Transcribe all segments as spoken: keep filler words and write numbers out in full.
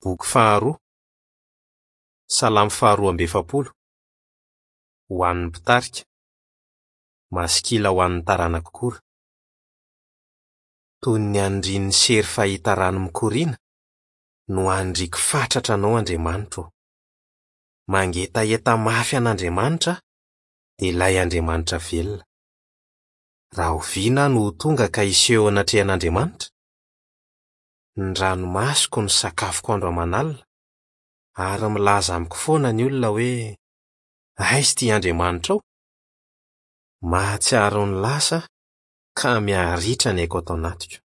Boky faharoa, Salamo faharoa amby efapolo, ho an'ny mpitarika, maskila ho an'ny taranak'i Kora. Toy ny anindrian'ny sery fahita rano mikoriana no anindriako fatratra anao Andriamanitro ô. Mangetaheta mafy an'Andriamanitra aho, dia ilay Andriamanitra velona. Rahoviana aho no ho tonga ka hiseho eo anatrehan'Andriamanitra? Ny ranomasoko no sakafoko andro aman'alina, ary milaza amiko foana ny olona hoe: "Aiza ity Andriamanitrao?" Mahatsiaro ny lasa aho ka miharitra ny aiko ato anatiko.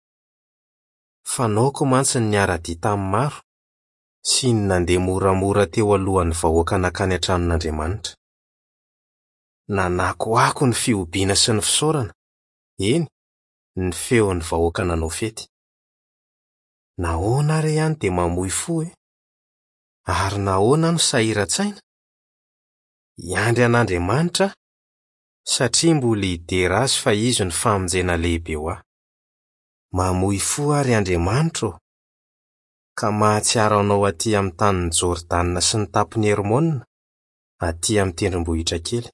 Fanaoko mantsy ny niara-dia tamin'ny maro sy ny nandeha moramora teo alohan'ny vahoaka nankany an-tranon'Andriamanitra. Nanakoako ny fihobiana sy ny fisaorana, eny, ny feon'ny vahoaka nanao fety. Nahoana re aho no dia mamoy fo e? Ary nahoana aho no sahiran-tsaina? Hiandry an'Andriamanitra aho, satria mbola hidera Azy fa Izy no famonjena lehibe ho ahy. Mamoy fo aho, ry Andriamanitra ô, ka mahatsiaro Anao aty amin'ny tanin'i Jordana sy ny tampon'i Hermona, aty amin'ny tendrombohitra kely.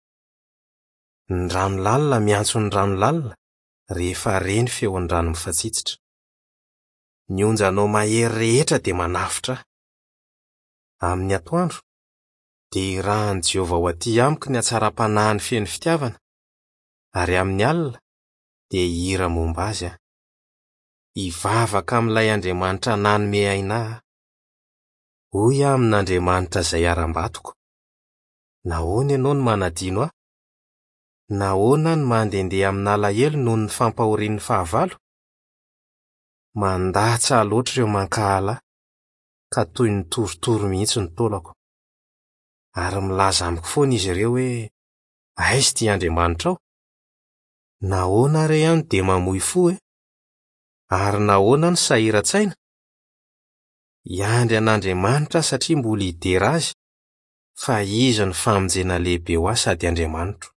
Ny rano lalina miantso ny rano lalina rehefa re ny feon'ny rano mifatsitsitra. Ny onjanao mahery rehetra dia manafotra ahy. Amin'ny atoandro, dia irahan'i Jehovah ho aty amiko ny hatsaram-panahiny feno fitiavana, ary amin'ny alina, dia hihira momba azy aho. Hivavaka amin'ilay Andriamanitra nanome aina ahy. Hoy aho amin'Andriamanitra izay harambatoko: Nahoana ianao no manadino ahy? Nahoana aho no mandehandeha amin'alahelo noho ny fampahorian'ny fahavalo? Mandatsa loatra ireo mankahala ahy, ka toy ny torotoro mihitsy ny taolako. Ary milaza amiko foana izy ireo hoe: "Aiza ity Andriamanitrao?" Nahoana re aho no dia mamoy fo e? Ary nahoana aho no sahiran-tsaina? Hiandry an'Andriamanitra aho satria mbola hidera Azy, fa Izy no famonjena lehibe ho ahy sady Andriamanitro.